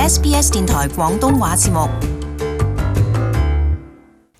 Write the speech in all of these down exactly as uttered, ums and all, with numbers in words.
S B S 電台廣東話節目。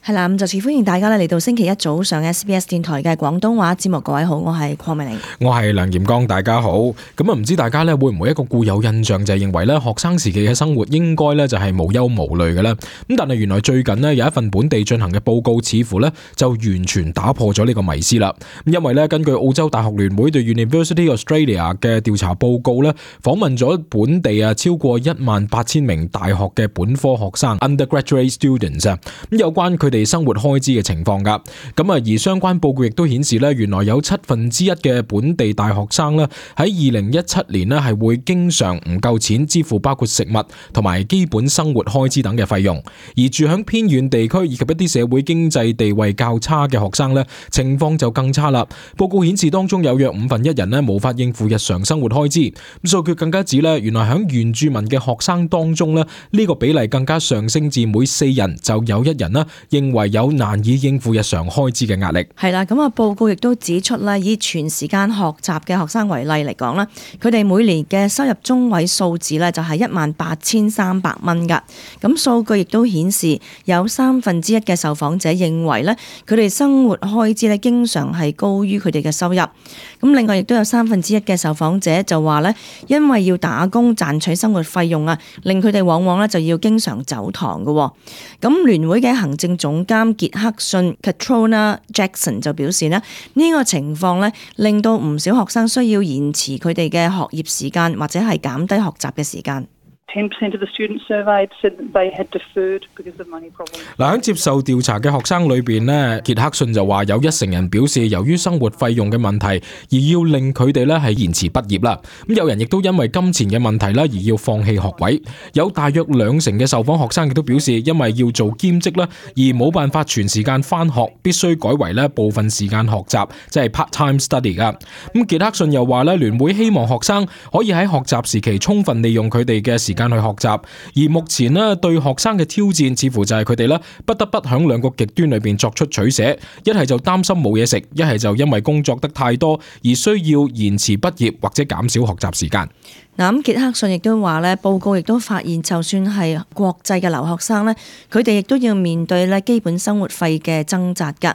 係啦，咁就次歡迎大家咧嚟到星期一早上 S B S 電台嘅廣東話節目。各位好，我係鄺美玲，我係梁炎剛，大家好。咁啊，唔知大家咧會唔會一個固有印象就係認為咧學生時期嘅生活應該咧就係無憂無慮嘅咧？咁但係原來最近呢，有一份本地進行嘅報告，似乎咧就完全打破咗呢個迷思啦。咁因為咧根據澳洲大學聯會對 University Australia 嘅調查報告咧，訪問咗本地啊超過一萬八千名大學嘅本科學生 undergraduate students 啊，咁有關佢哋生活開支嘅情況噶，咁啊而相關報告亦都顯示咧，原來有七分之一嘅本地大學生咧喺二零一七年咧係會經常唔夠錢支付包括食物同埋基本生活開支等嘅費用，而住響偏遠地區以及一啲社會經濟地位較差嘅學生咧，情況就更差啦。報告顯示當中有約五分一人咧無法應付日常生活開支，咁數據更加指咧，原來響原住民嘅學生當中咧，呢個比例更加上升至每四人就有一人啦認為有難以應付日常開支嘅壓力。係啦，咁啊報告亦都指出咧，以全時間學習嘅學生為例嚟講啦，佢哋每年嘅收入中位數字咧就係一萬八千三百蚊噶。咁數據亦都顯示有三分之一嘅受訪者認為咧，佢哋生活開支咧經常係高於佢哋嘅收入。咁另外亦都有三分之一嘅受訪者就話咧，因為要打工賺取生活費用啊，令佢哋往往咧就要經常走堂嘅。咁聯會嘅行政總監傑克遜 Katrona Jackson 就表示呢，呢個情況咧令到唔少學生需要延遲佢哋嘅學業時間，或者係減低學習嘅時間。ten percent of the students surveyed said that they had deferred because of money problems. 嗱，喺接受調查嘅學生裏邊咧，傑克遜就話有一成人表示由於生活費用嘅問題而要令佢哋咧係延遲畢業啦。咁有人亦都因為金錢嘅問題咧而要放棄學位。有大約兩成嘅受訪學生亦都表示因為要做兼職啦而冇辦法全時間返學，必須改為咧部分時間學習，即係 part-time study 噶。咁傑克遜又話咧，聯會希望學生可以喺學習時期充分利用佢哋嘅時間去學習，而目前咧對學生嘅挑戰似乎就係佢哋咧不得不響兩個極端裏邊作出取捨，一係就擔心冇嘢食，一係就因為工作得太多而需要延遲畢業或者減少學習時間。嗱，咁傑克遜亦都話咧，報告亦都發現，就算係國際嘅留學生咧，佢哋亦都要面對咧基本生活費嘅掙扎㗎。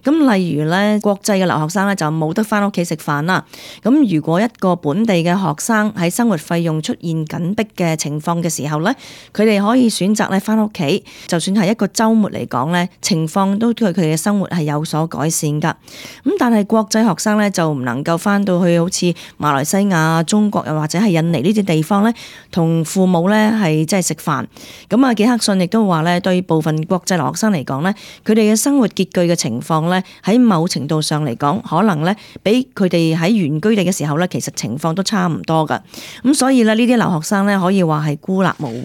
咁例如咧，國際嘅留學生咧就冇得返屋企食飯啦。咁如果一個本地嘅學生喺生活費用出現緊迫嘅情況嘅時候咧，佢哋可以選擇咧返屋企，就算係一個週末嚟講咧，情況都對佢哋嘅生活係有所改善㗎。咁但係國際學生咧就唔能夠返到去好似馬來西亞、中國又或者係印尼呢啲地方咧，同父母咧係即係食飯。咁啊，傑克遜亦都話咧，對部分國際留學生嚟講咧，佢哋嘅生活拮據嘅情況咧，喺某程度上嚟講，可能咧比佢哋喺原居地嘅時候咧，其實情況都差唔多噶。咁所以咧，呢啲留學生咧可以話係孤立無援。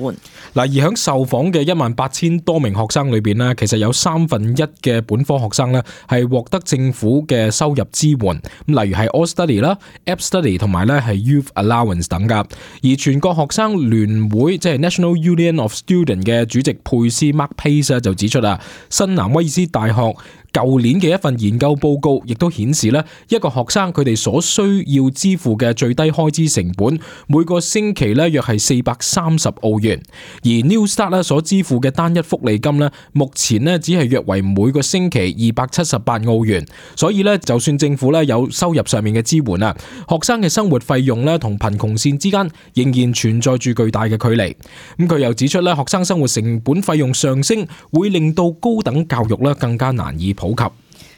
嗱，而喺受訪嘅一萬八千多名學生裏邊咧，其實有三分一嘅本科學生咧係獲得政府嘅收入支援，咁例如係 All Study 啦、App Study 同埋咧係 Youth Allowance 等噶。而全國學生聯會即係 National Union of Students 嘅主席佩斯 Mark Pace 就指出啊，新南威爾斯大學舊年嘅一份研究報告亦都顯示咧，一個學生佢哋所需要支付嘅最低開支成本，每個星期咧約係四百三十澳元，而 New Start 咧所支付嘅單一福利金咧，目前咧只係約為每個星期二百七十八澳元。所以咧，就算政府咧有收入上面嘅支援啊，學生嘅生活費用咧同貧窮線之間仍然存在住巨大嘅距離。咁佢又指出咧，學生生活成本費用上升，會令到高等教育咧更加難以普及。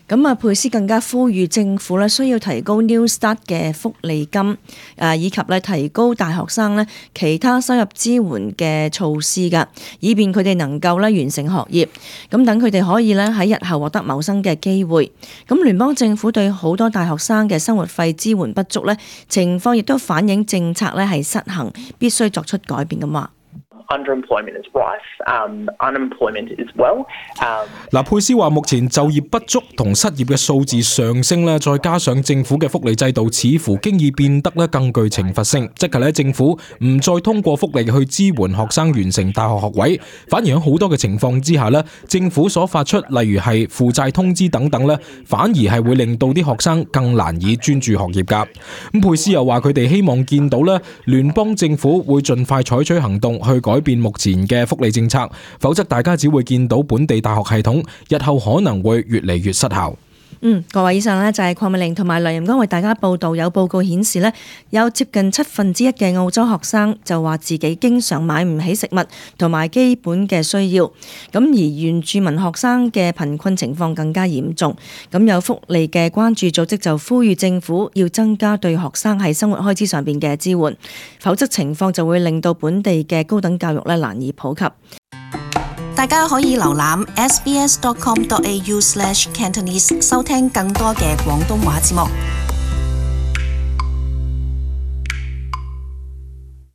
咁啊，佩斯更加呼籲政府咧需要提高 New Start 嘅福利金，誒以及咧提高大學生咧其他收入支援嘅措施㗎，以便佢哋能夠咧完成學業，咁等佢哋可以咧喺日後獲得謀生嘅機會。咁聯邦政府對好多大學生嘅生活費支援不足咧，情況亦都反映政策咧係失衡，必須作出改變咁話。underemployment is rife, um, unemployment as well. 嗱，佩斯話目前就業不足同失業嘅數字上升咧，再加上政府嘅福利制度似乎經已變得咧更具懲罰性，即係咧政府唔再通過福利去支援學生完成大學學位，反而喺好多嘅情況之下咧，政府所發出例如係負債通知等等咧，反而係會令到啲學生更難以專注學業㗎。咁佩斯又話佢哋希望見到咧聯邦政府會盡快採取行動去改變目前嘅福利政策，否則大家只會見到本地大學系統日後可能會越嚟越失效。嗯，各位以上呢就係鄺美玲同埋梁任剛為大家報道。有報告顯示呢，有接近七分之一嘅澳洲學生就話自己經常買唔起食物同埋基本嘅需要。咁而原住民學生嘅貧困情況更加嚴重。咁有福利嘅關注組織就呼籲政府要增加對學生喺生活開支上邊嘅支援，否則情況就會令到本地嘅高等教育咧難以普及。大家可以瀏覽 s b s dot com dot a u slash cantonese 收聽更多嘅廣東話節目。